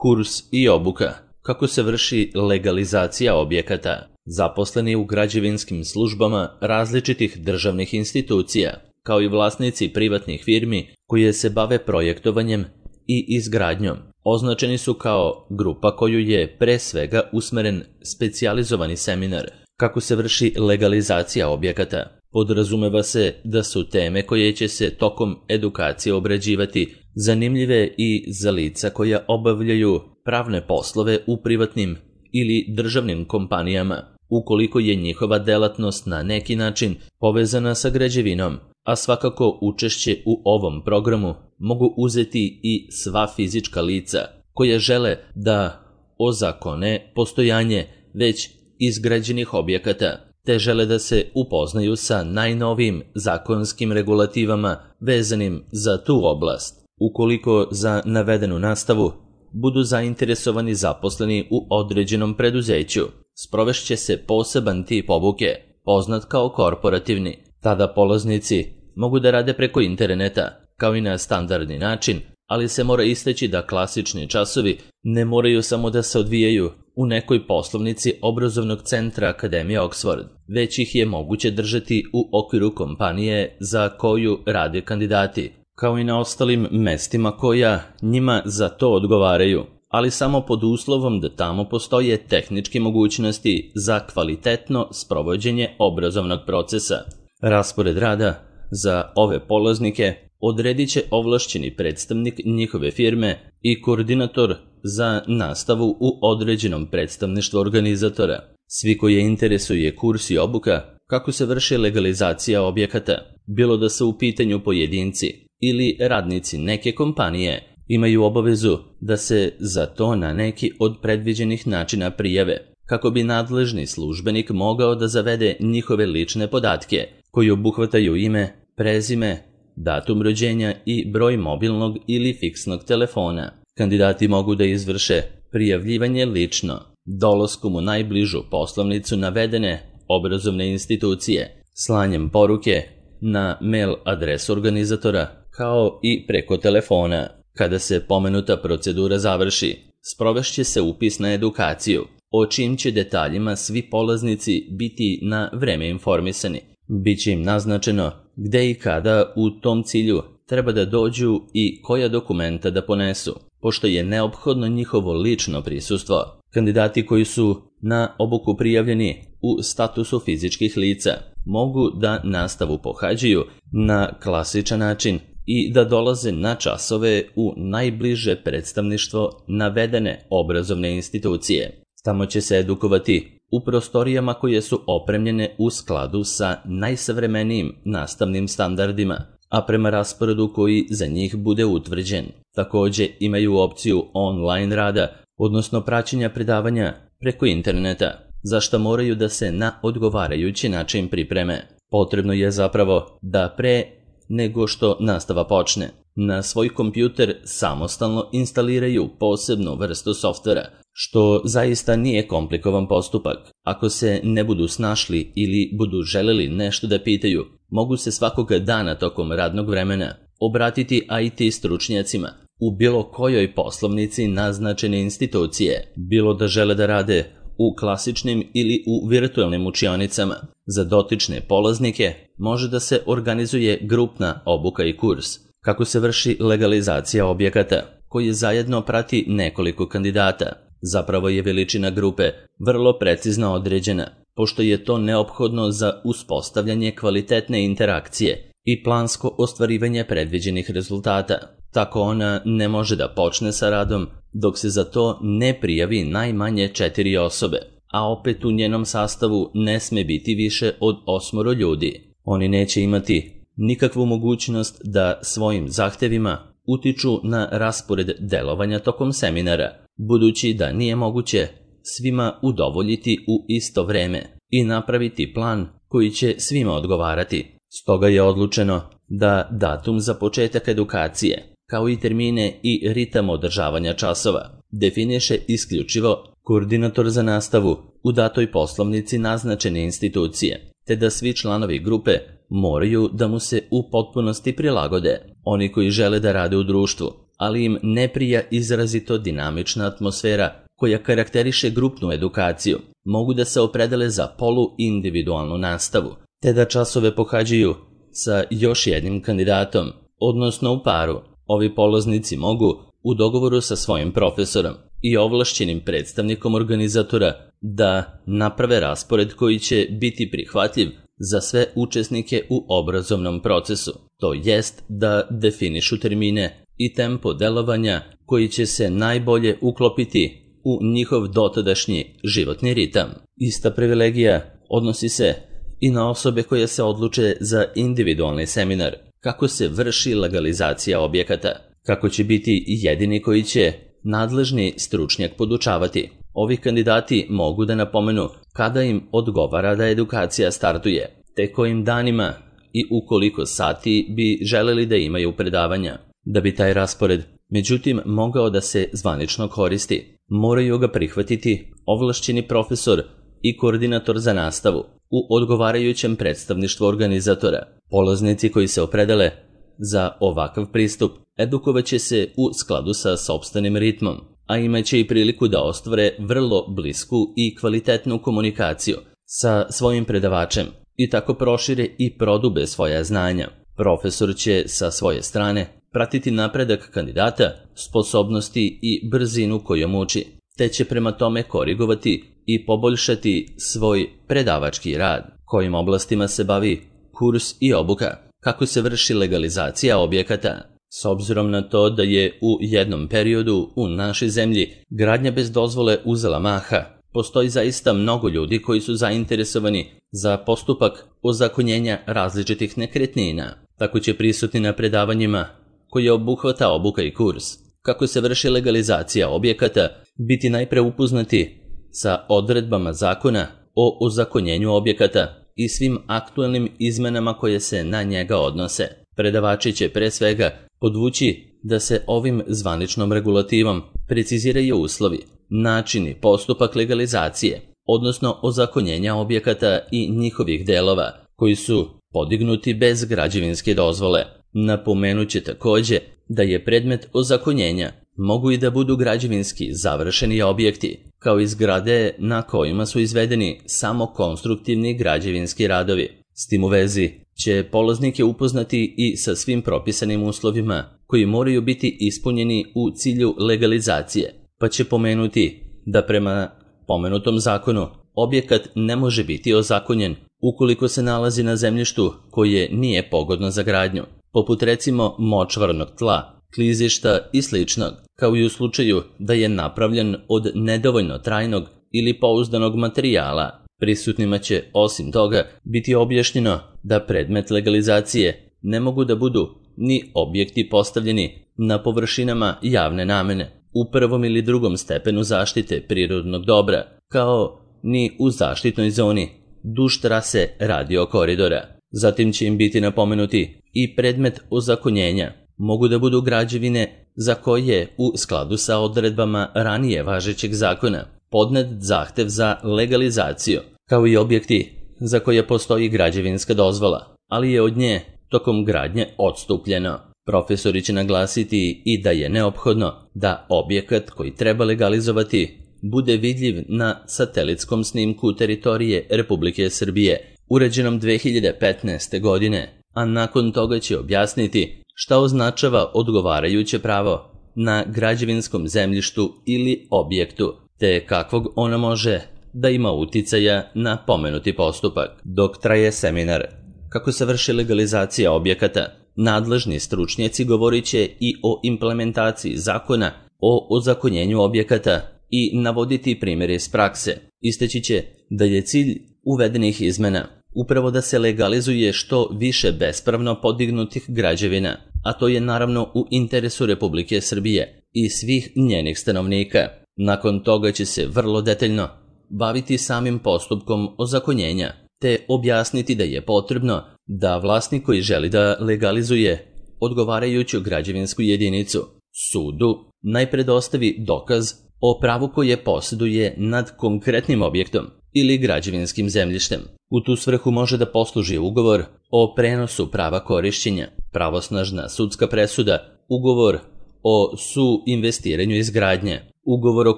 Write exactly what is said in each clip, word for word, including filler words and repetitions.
Kurs i obuka. Kako se vrši legalizacija objekata. Zaposleni u građevinskim službama različitih državnih institucija, kao i vlasnici privatnih firmi koje se bave projektovanjem i izgradnjom, označeni su kao grupa koju je pre svega usmeren specijalizovani seminar. Kako se vrši legalizacija objekata. Podrazumeva se da su teme koje će se tokom edukacije obrađivati zanimljive i za lica koja obavljaju pravne poslove u privatnim ili državnim kompanijama, ukoliko je njihova delatnost na neki način povezana sa građevinom, a svakako učešće u ovom programu mogu uzeti i sva fizička lica koja žele da ozakone postojanje već izgrađenih objekata, te žele da se upoznaju sa najnovijim zakonskim regulativama vezanim za tu oblast. Ukoliko za navedenu nastavu budu zainteresovani zaposleni u određenom preduzeću, sprovešće se poseban tip obuke, poznat kao korporativni. Tada polaznici mogu da rade preko interneta, kao i na standardni način, ali se mora istaći da klasični časovi ne moraju samo da se odvijaju u nekoj poslovnici obrazovnog centra Akademije Oxford, već ih je moguće držati u okviru kompanije za koju rade kandidati, kao i na ostalim mestima koja njima za to odgovaraju, ali samo pod uslovom da tamo postoje tehničke mogućnosti za kvalitetno sprovođenje obrazovnog procesa. Raspored rada za ove polaznike odredit će ovlašćeni predstavnik njihove firme i koordinator za nastavu u određenom predstavništvu organizatora. Svi koje interesuje kurs i obuka kako se vrši legalizacija objekata, bilo da su u pitanju pojedinci ili radnici neke kompanije, imaju obavezu da se za to na neki od predviđenih načina prijave, kako bi nadležni službenik mogao da zavede njihove lične podatke, koji obuhvataju ime, prezime, datum rođenja i broj mobilnog ili fiksnog telefona. Kandidati mogu da izvrše prijavljivanje lično, dolaskom u najbližu poslovnicu navedene obrazovne institucije, slanjem poruke na mail adresu organizatora, kao i preko telefona. Kada se pomenuta procedura završi, sprovešće se upis na edukaciju, o čijim će detaljima svi polaznici biti na vreme informisani. Biće im naznačeno gde i kada u tom cilju treba da dođu i koja dokumenta da ponesu, pošto je neophodno njihovo lično prisustvo. Kandidati koji su na obuku prijavljeni u statusu fizičkih lica mogu da nastavu pohađaju na klasičan način i da dolaze na časove u najbliže predstavništvo navedene obrazovne institucije. Tamo će se edukovati u prostorijama koje su opremljene u skladu sa najsavremenijim nastavnim standardima, a prema rasporedu koji za njih bude utvrđen. Takođe imaju opciju online rada, odnosno praćenja predavanja preko interneta, za što moraju da se na odgovarajući način pripreme. Potrebno je zapravo da pre nego što nastava počne, na svoj kompjuter samostalno instaliraju posebnu vrstu softvera, što zaista nije komplikovan postupak. Ako se ne budu snašli ili budu želeli nešto da pitaju, mogu se svakoga dana tokom radnog vremena obratiti I T stručnjacima u bilo kojoj poslovnici naznačene institucije, bilo da žele da rade u klasičnim ili u virtualnim učionicama. Za dotične polaznike može da se organizuje grupna obuka i kurs. Kako se vrši legalizacija objekata, koji zajedno prati nekoliko kandidata. Zapravo je veličina grupe vrlo precizno određena, pošto je to neophodno za uspostavljanje kvalitetne interakcije i plansko ostvarivanje predviđenih rezultata. Tako ona ne može da počne sa radom dok se za to ne prijavi najmanje četiri osobe, a opet u njenom sastavu ne sme biti više od osmoro ljudi. Oni neće imati nikakvu mogućnost da svojim zahtevima utiču na raspored delovanja tokom seminara, budući da nije moguće svima udovoljiti u isto vreme i napraviti plan koji će svima odgovarati. Stoga je odlučeno da datum za početak edukacije, kao i termine i ritam održavanja časova, definiše isključivo koordinator za nastavu u datoj poslovnici naznačene institucije, te da svi članovi grupe moraju da mu se u potpunosti prilagode. Oni koji žele da rade u društvu, ali im ne prija izrazito dinamična atmosfera koja karakteriše grupnu edukaciju, mogu da se opredele za poluindividualnu nastavu, te da časove pohađaju sa još jednim kandidatom, odnosno u paru. Ovi polaznici mogu, u dogovoru sa svojim profesorom i ovlašćenim predstavnikom organizatora, da naprave raspored koji će biti prihvatljiv za sve učesnike u obrazovnom procesu, to jest da definišu termine i tempo delovanja koji će se najbolje uklopiti u njihov dotadašnji životni ritam. Ista privilegija odnosi se i na osobe koje se odluče za individualni seminar, kako se vrši legalizacija objekata, kako će biti jedini koji će nadležni stručnjak podučavati. Ovi kandidati mogu da napomenu kada im odgovara da edukacija startuje, te kojim danima i u koliko sati bi želeli da imaju predavanja. Da bi taj raspored, međutim, mogao da se zvanično koristi, moraju ga prihvatiti ovlašćeni profesor i koordinator za nastavu u odgovarajućem predstavništvu organizatora. Polaznici koji se opredele za ovakav pristup edukovaće se u skladu sa sopstvenim ritmom, a imaće i priliku da ostvare vrlo blisku i kvalitetnu komunikaciju sa svojim predavačem i tako prošire i prodube svoja znanja. Profesor će sa svoje strane pratiti napredak kandidata, sposobnosti i brzinu kojom uči, te će prema tome korigovati i poboljšati svoj predavački rad. Kojim oblastima se bavi kurs i obuka, kako se vrši legalizacija objekata. S obzirom na to da je u jednom periodu u našoj zemlji gradnja bez dozvole uzela maha, postoji zaista mnogo ljudi koji su zainteresovani za postupak ozakonjenja različitih nekretnina. Tako će prisutni na predavanjima koje obuhvata obuka i kurs, kako se vrši legalizacija objekata, biti najpre upoznati sa odredbama zakona o ozakonjenju objekata i svim aktuelnim izmenama koje se na njega odnose. Predavači će pre svega podvući da se ovim zvaničnom regulativom preciziraju uslovi, načini, postupak legalizacije, odnosno ozakonjenja objekata i njihovih delova koji su podignuti bez građevinske dozvole. Napomenuće takođe da je predmet ozakonjenja mogu i da budu građevinski završeni objekti, kao i zgrade na kojima su izvedeni samo konstruktivni građevinski radovi. S tim u vezi će polaznike upoznati i sa svim propisanim uslovima koji moraju biti ispunjeni u cilju legalizacije, pa će pomenuti da prema pomenutom zakonu objekat ne može biti ozakonjen ukoliko se nalazi na zemljištu koje nije pogodno za gradnju, poput recimo močvarnog tla, klizišta i sličnog, kao i u slučaju da je napravljen od nedovoljno trajnog ili pouzdanog materijala. Prisutnima će, osim toga, biti objašnjeno da predmet legalizacije ne mogu da budu ni objekti postavljeni na površinama javne namene, u prvom ili drugom stepenu zaštite prirodnog dobra, kao ni u zaštitnoj zoni duž trase radiokoridora. Zatim će im biti napomenuti i predmet ozakonjenja. Mogu da budu građevine za koje u skladu sa odredbama ranije važećeg zakona podnet zahtev za legalizaciju, kao i objekti za koje postoji građevinska dozvola, ali je od nje tokom gradnje odstupljeno. Profesori će naglasiti i da je neophodno da objekat koji treba legalizovati bude vidljiv na satelitskom snimku teritorije Republike Srbije, uređenom dve hiljade petnaeste. godine, a nakon toga će objasniti šta označava odgovarajuće pravo na građevinskom zemljištu ili objektu, te kakvog ono može da ima uticaja na pomenuti postupak. Dok traje seminar kako se vrši legalizacija objekata, nadležni stručnjaci govorit će i o implementaciji zakona o ozakonjenju objekata i navoditi primjere iz prakse. Isteći će da je cilj uvedenih izmena upravo da se legalizuje što više bespravno podignutih građevina, a to je naravno u interesu Republike Srbije i svih njenih stanovnika. Nakon toga će se vrlo detaljno baviti samim postupkom ozakonjenja, te objasniti da je potrebno da vlasnik koji želi da legalizuje odgovarajuću građevinsku jedinicu sudu najpre dostavi dokaz o pravu koje posjeduje nad konkretnim objektom ili građevinskim zemljištem. U tu svrhu može da posluži ugovor o prenosu prava korišćenja, pravosnažna sudska presuda, ugovor o suinvestiranju izgradnje, ugovor o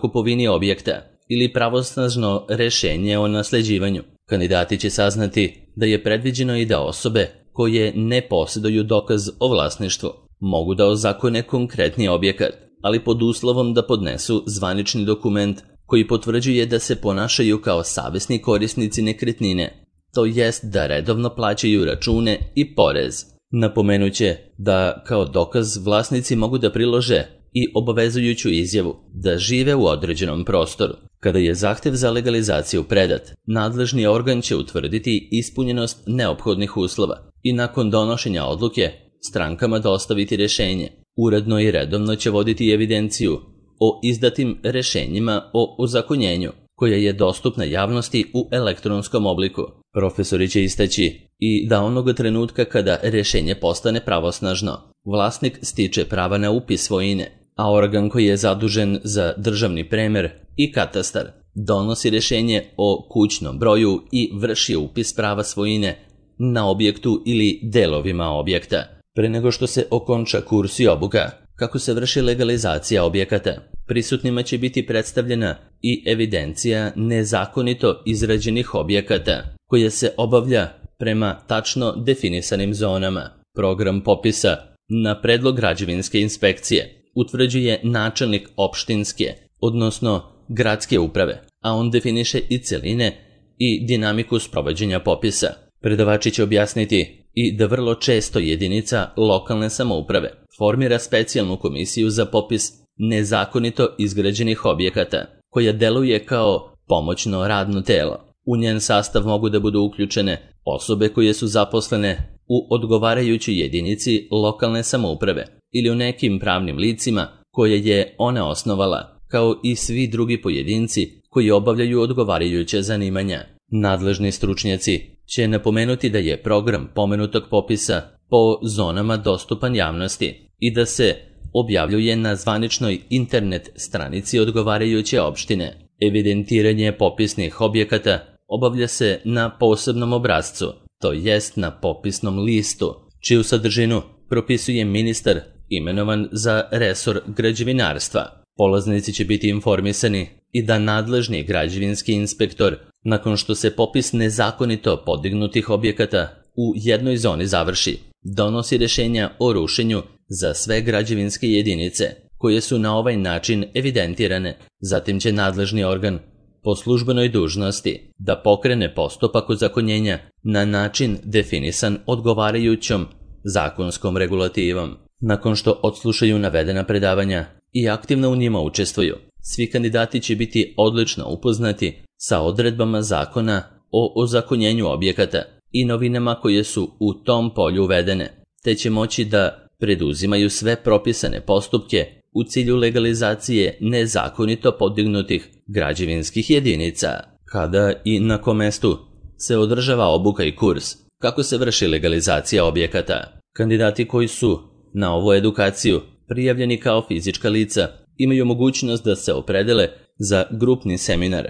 kupovini objekta ili pravosnažno rešenje o nasleđivanju. Kandidati će saznati da je predviđeno i da osobe koje ne posjeduju dokaz o vlasništvu mogu da ozakone konkretni objekat, ali pod uslovom da podnesu zvanični dokument koji potvrđuje da se ponašaju kao savesni korisnici nekretnine, to jest da redovno plaćaju račune i porez. Napomenuće da kao dokaz vlasnici mogu da prilože i obavezujuću izjavu da žive u određenom prostoru. Kada je zahtev za legalizaciju predat, nadležni organ će utvrditi ispunjenost neophodnih uslova i nakon donošenja odluke strankama dostaviti rešenje. Uredno i redovno će voditi evidenciju o izdatim rešenjima o ozakonjenju, koja je dostupna javnosti u elektronskom obliku. Profesori će istaći i da onoga trenutka kada rešenje postane pravosnažno, vlasnik stiče prava na upis svojine, a organ koji je zadužen za državni premer i katastar donosi rešenje o kućnom broju i vrši upis prava svojine na objektu ili delovima objekta. Pre nego što se okonča kurs i obuka, kako se vrši legalizacija objekata, prisutnima će biti predstavljena i evidencija nezakonito izrađenih objekata, koja se obavlja prema tačno definisanim zonama. Program popisa na predlog građevinske inspekcije utvrđuje načelnik opštinske, odnosno gradske uprave, a on definiše i celine i dinamiku sprovođenja popisa. Predavači će objasniti i da vrlo često jedinica lokalne samouprave formira specijalnu komisiju za popis nezakonito izgrađenih objekata, koja deluje kao pomoćno radno telo. U njen sastav mogu da budu uključene osobe koje su zaposlene u odgovarajućoj jedinici lokalne samouprave ili u nekim pravnim licima koje je ona osnovala, kao i svi drugi pojedinci koji obavljaju odgovarajuće zanimanja. Nadležni stručnjaci će napomenuti da je program pomenutog popisa po zonama dostupan javnosti i da se objavljuje na zvaničnoj internet stranici odgovarajuće opštine. Evidentiranje popisnih objekata obavlja se na posebnom obrascu, to jest na popisnom listu, čiju sadržinu propisuje ministar imenovan za resor građevinarstva. Polaznici će biti informisani i da nadležni građevinski inspektor, nakon što se popis nezakonito podignutih objekata u jednoj zoni završi, donosi rešenja o rušenju za sve građevinske jedinice koje su na ovaj način evidentirane. Zatim će nadležni organ po službenoj dužnosti da pokrene postupak ozakonjenja na način definisan odgovarajućom zakonskom regulativom. Nakon što odslušaju navedena predavanja i aktivno u njima učestvuju, svi kandidati će biti odlično upoznati sa odredbama zakona o ozakonjenju objekata i novinama koje su u tom polju uvedene, te će moći da preduzimaju sve propisane postupke u cilju legalizacije nezakonito podignutih građevinskih jedinica. Kada i na kom mestu se održava obuka i kurs, kako se vrši legalizacija objekata. Kandidati koji su na ovu edukaciju prijavljeni kao fizička lica imaju mogućnost da se opredele za grupni seminar.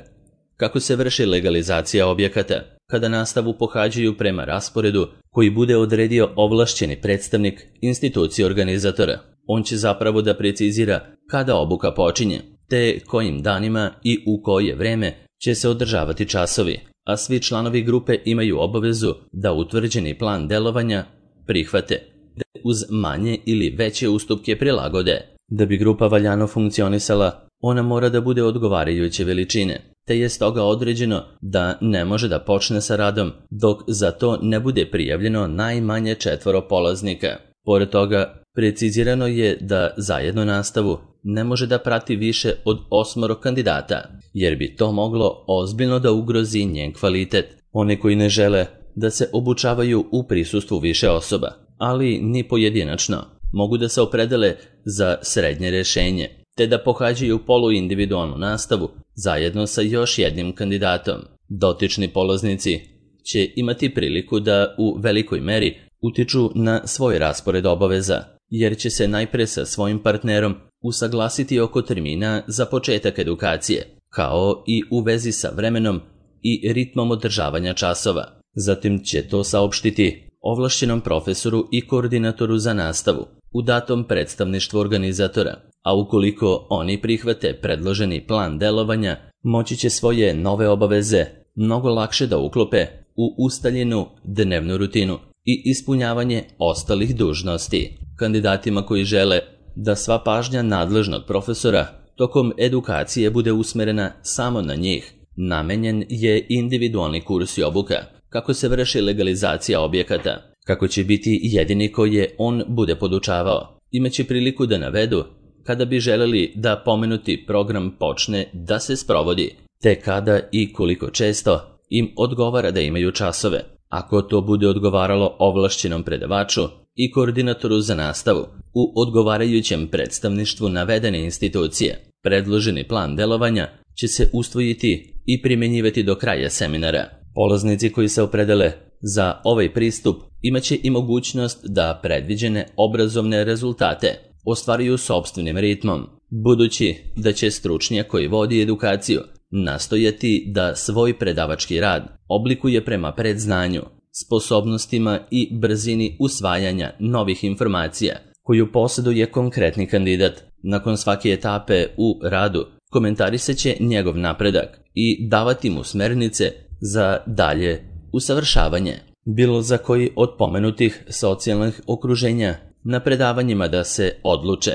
Kako se vrši legalizacija objekata, kada nastavu pohađaju prema rasporedu koji bude odredio ovlašćeni predstavnik institucije organizatora. On će zapravo da precizira kada obuka počinje, te kojim danima i u koje vreme će se održavati časovi, a svi članovi grupe imaju obavezu da utvrđeni plan delovanja prihvate, da uz manje ili veće ustupke prilagode. Da bi grupa valjano funkcionisala, ona mora da bude odgovarajuće veličine, te je stoga određeno da ne može da počne sa radom dok za to ne bude prijavljeno najmanje četvoro polaznika. Pored toga, precizirano je da zajedno nastavu ne može da prati više od osmoro kandidata, jer bi to moglo ozbiljno da ugrozi njen kvalitet. Oni koji ne žele da se obučavaju u prisustvu više osoba, ali ni pojedinačno, mogu da se opredele za srednje rešenje, te da pohađaju poluindividualnu nastavu zajedno sa još jednim kandidatom. Dotični polaznici će imati priliku da u velikoj meri utiču na svoj raspored obaveza, jer će se najpre sa svojim partnerom usaglasiti oko termina za početak edukacije, kao i u vezi sa vremenom i ritmom održavanja časova. Zatim će to saopštiti ovlašćenom profesoru i koordinatoru za nastavu, u datom predstavništvu organizatora, a ukoliko oni prihvate predloženi plan delovanja, moći će svoje nove obaveze mnogo lakše da uklope u ustaljenu dnevnu rutinu i ispunjavanje ostalih dužnosti. Kandidatima koji žele da sva pažnja nadležnog profesora tokom edukacije bude usmerena samo na njih, namenjen je individualni kurs i obuka, kako se vrši legalizacija objekata, kako će biti jedini koji je on bude podučavao. Imaće priliku da navedu kada bi želeli da pomenuti program počne da se sprovodi, te kada i koliko često im odgovara da imaju časove. Ako to bude odgovaralo ovlašćenom predavaču i koordinatoru za nastavu u odgovarajućem predstavništvu navedene institucije, predloženi plan delovanja će se usvojiti i primjenjivati do kraja seminara. Polaznici koji se opredele za ovaj pristup imaće i mogućnost da predviđene obrazovne rezultate ostvaruju sopstvenim ritmom, budući da će stručnjak koji vodi edukaciju nastojati da svoj predavački rad oblikuje prema predznanju, sposobnostima i brzini usvajanja novih informacija koju posjeduje konkretni kandidat. Nakon svake etape u radu komentarisat će njegov napredak i davati mu smernice za dalje usavršavanje. Bilo za koji od pomenutih socijalnih okruženja na predavanjima da se odluče.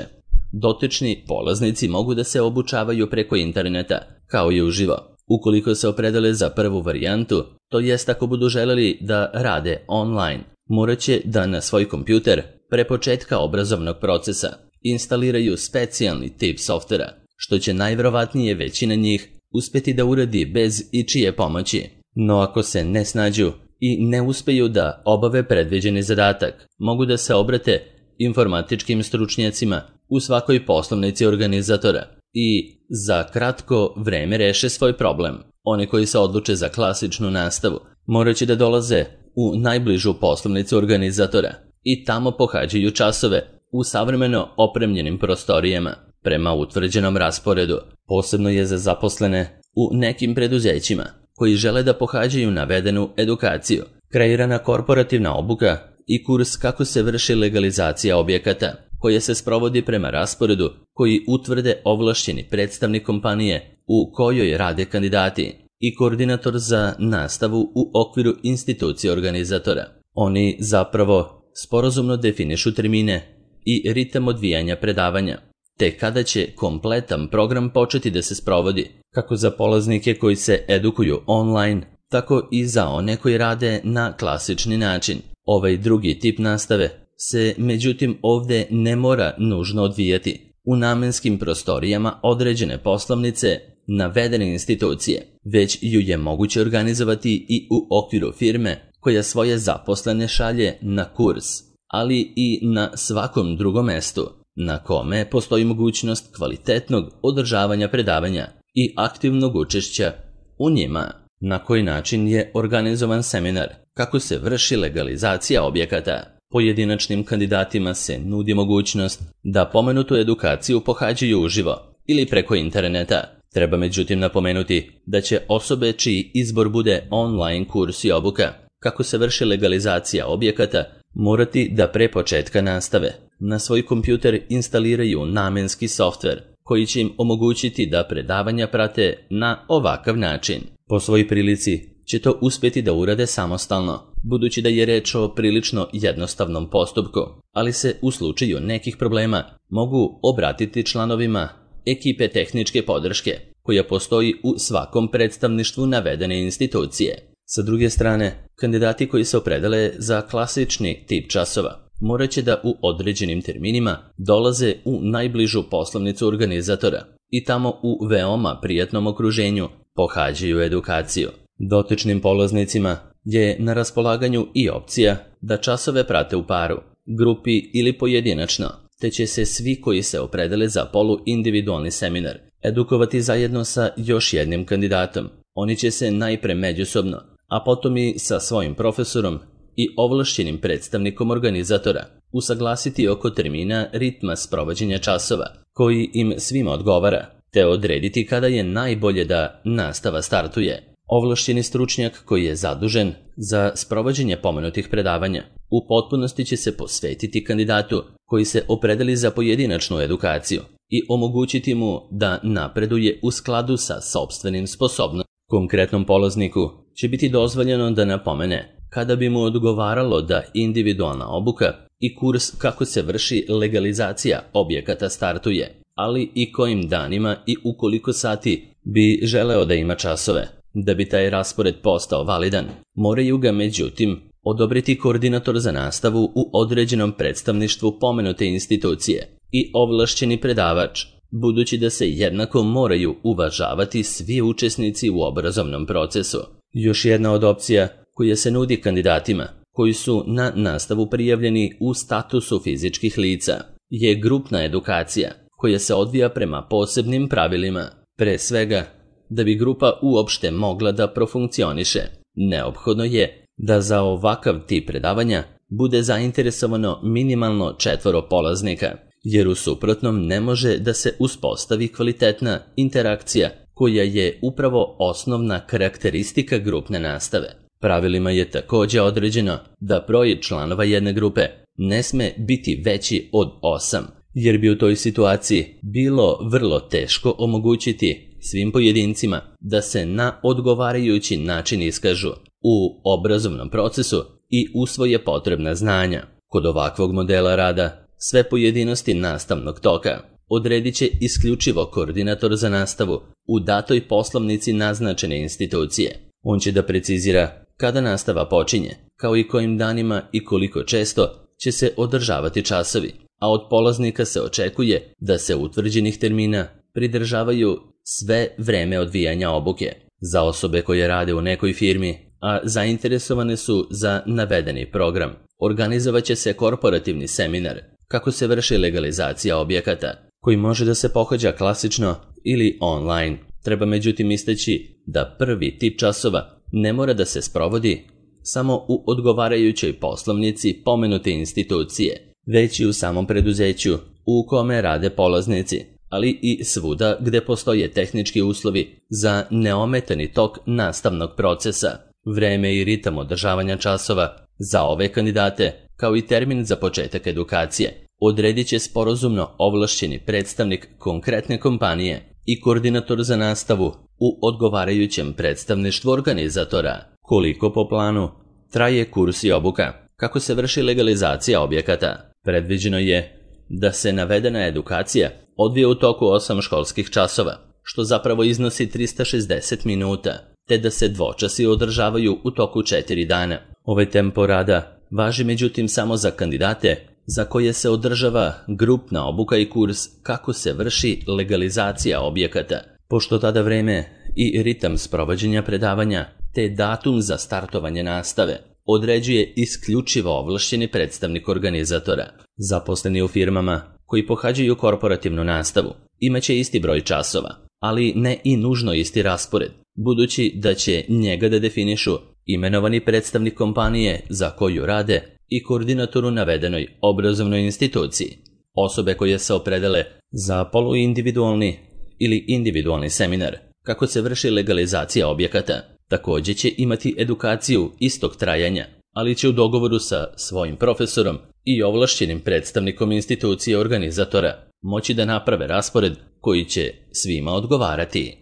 Dotični polaznici mogu da se obučavaju preko interneta, kao i uživo. Ukoliko se opredele za prvu varijantu, to jest ako budu želeli da rade online, morat će da na svoj kompjuter pre početka obrazovnog procesa instaliraju specijalni tip softvera, što će najvjerovatnije većina njih uspjeti da uradi bez ičije pomoći. No ako se ne snađu i ne uspeju da obave predviđeni zadatak, mogu da se obrate informatičkim stručnjacima u svakoj poslovnici organizatora i za kratko vreme reše svoj problem. Oni koji se odluče za klasičnu nastavu morat će da dolaze u najbližu poslovnicu organizatora i tamo pohađaju časove u savremeno opremljenim prostorijama prema utvrđenom rasporedu. Posebno je za zaposlene u nekim preduzećima koji žele da pohađaju navedenu edukaciju kreirana korporativna obuka i kurs kako se vrši legalizacija objekata, koje se sprovodi prema rasporedu koji utvrde ovlašćeni predstavnik kompanije u kojoj rade kandidati i koordinator za nastavu u okviru institucije organizatora. Oni zapravo sporazumno definišu termine i ritam odvijanja predavanja, te kada će kompletan program početi da se sprovodi, kako za polaznike koji se edukuju online, tako i za one koji rade na klasični način. Ovaj drugi tip nastave se međutim ovdje ne mora nužno odvijati u namenskim prostorijama određene poslovnice navedene institucije, već ju je moguće organizovati i u okviru firme koja svoje zaposlene šalje na kurs, ali i na svakom drugom mestu na kome postoji mogućnost kvalitetnog održavanja predavanja i aktivnog učešća u njima. Na koji način je organizovan seminar, kako se vrši legalizacija objekata. Pojedinačnim kandidatima se nudi mogućnost da pomenutu edukaciju pohađaju uživo ili preko interneta. Treba međutim napomenuti da će osobe čiji izbor bude online kurs i obuka, kako se vrši legalizacija objekata, morati da pre početka nastave na svoj kompjuter instaliraju namenski softver koji će im omogućiti da predavanja prate na ovakav način. Po svojoj prilici će to uspjeti da urade samostalno, budući da je reč o prilično jednostavnom postupku, ali se u slučaju nekih problema mogu obratiti članovima ekipe tehničke podrške koja postoji u svakom predstavništvu navedene institucije. Sa druge strane, kandidati koji se opredele za klasični tip časova morat će da u određenim terminima dolaze u najbližu poslovnicu organizatora i tamo u veoma prijatnom okruženju pohađaju edukaciju. Dotičnim polaznicima je na raspolaganju i opcija da časove prate u paru, grupi ili pojedinačno, te će se svi koji se opredele za poluindividualni seminar edukovati zajedno sa još jednim kandidatom. Oni će se najpre međusobno, a potom i sa svojim profesorom i ovlašćenim predstavnikom organizatora usaglasiti oko termina ritma sprovođenja časova, koji im svima odgovara, te odrediti kada je najbolje da nastava startuje. Ovlašćeni stručnjak koji je zadužen za sprovođenje pomenutih predavanja u potpunosti će se posvetiti kandidatu koji se opredeli za pojedinačnu edukaciju i omogućiti mu da napreduje u skladu sa sopstvenim sposobnostima. Konkretnom polazniku će biti dozvoljeno da napomene kada bi mu odgovaralo da individualna obuka i kurs kako se vrši legalizacija objekata startuje, ali i kojim danima i u koliko sati bi želeo da ima časove. Da bi taj raspored postao validan, moraju ga međutim odobriti koordinator za nastavu u određenom predstavništvu pomenute institucije i ovlašćeni predavač, budući da se jednako moraju uvažavati svi učesnici u obrazovnom procesu. Još jedna od opcija koja se nudi kandidatima koji su na nastavu prijavljeni u statusu fizičkih lica je grupna edukacija koja se odvija prema posebnim pravilima. Pre svega, da bi grupa uopšte mogla da profunkcioniše, neophodno je da za ovakav tip predavanja bude zainteresovano minimalno četvoro polaznika, jer u suprotnom ne može da se uspostavi kvalitetna interakcija koja je upravo osnovna karakteristika grupne nastave. Pravilima je također određeno da broj članova jedne grupe ne sme biti veći od osam, jer bi u toj situaciji bilo vrlo teško omogućiti svim pojedincima da se na odgovarajući način iskažu u obrazovnom procesu i usvoje potrebna znanja. Kod ovakvog modela rada sve pojedinosti nastavnog toka odredit će isključivo koordinator za nastavu u datoj poslovnici naznačene institucije. On će da precizira kada nastava počinje, kao i kojim danima i koliko često će se održavati časovi, a od polaznika se očekuje da se utvrđenih termina pridržavaju sve vreme odvijanja obuke. Za osobe koje rade u nekoj firmi, a zainteresovane su za navedeni program, organizovat će se korporativni seminar kako se vrši legalizacija objekata, koji može da se pohađa klasično ili online. Treba međutim istaći da prvi tip časova ne mora da se sprovodi samo u odgovarajućoj poslovnici pomenute institucije, već i u samom preduzeću u kome rade polaznici, ali i svuda gde postoje tehnički uslovi za neometani tok nastavnog procesa. Vreme i ritam održavanja časova za ove kandidate, kao i termin za početak edukacije, odredit će sporazumno ovlašćeni predstavnik konkretne kompanije i koordinator za nastavu u odgovarajućem predstavništvu organizatora. Koliko po planu traje kurs i obuka? Kako se vrši legalizacija objekata? Predviđeno je da se navedena edukacija odvije u toku osam školskih časova, što zapravo iznosi trista šezdeset minuta, te da se dvočasi održavaju u toku četiri dana. Ovaj tempo rada važi međutim samo za kandidate za koje se održava grupna obuka i kurs kako se vrši legalizacija objekata, pošto tada vreme i ritam sprovođenja predavanja te datum za startovanje nastave određuje isključivo ovlašćeni predstavnik organizatora. Zaposleni u firmama koji pohađaju korporativnu nastavu imaće isti broj časova, ali ne i nužno isti raspored, budući da će njega da definišu imenovani predstavnik kompanije za koju rade i koordinator u navedenoj obrazovnoj instituciji. Osobe koje se opredele za poluindividualni ili individualni seminar kako se vrši legalizacija objekata također će imati edukaciju istog trajanja, ali će u dogovoru sa svojim profesorom i ovlašćenim predstavnikom institucije organizatora moći da naprave raspored koji će svima odgovarati.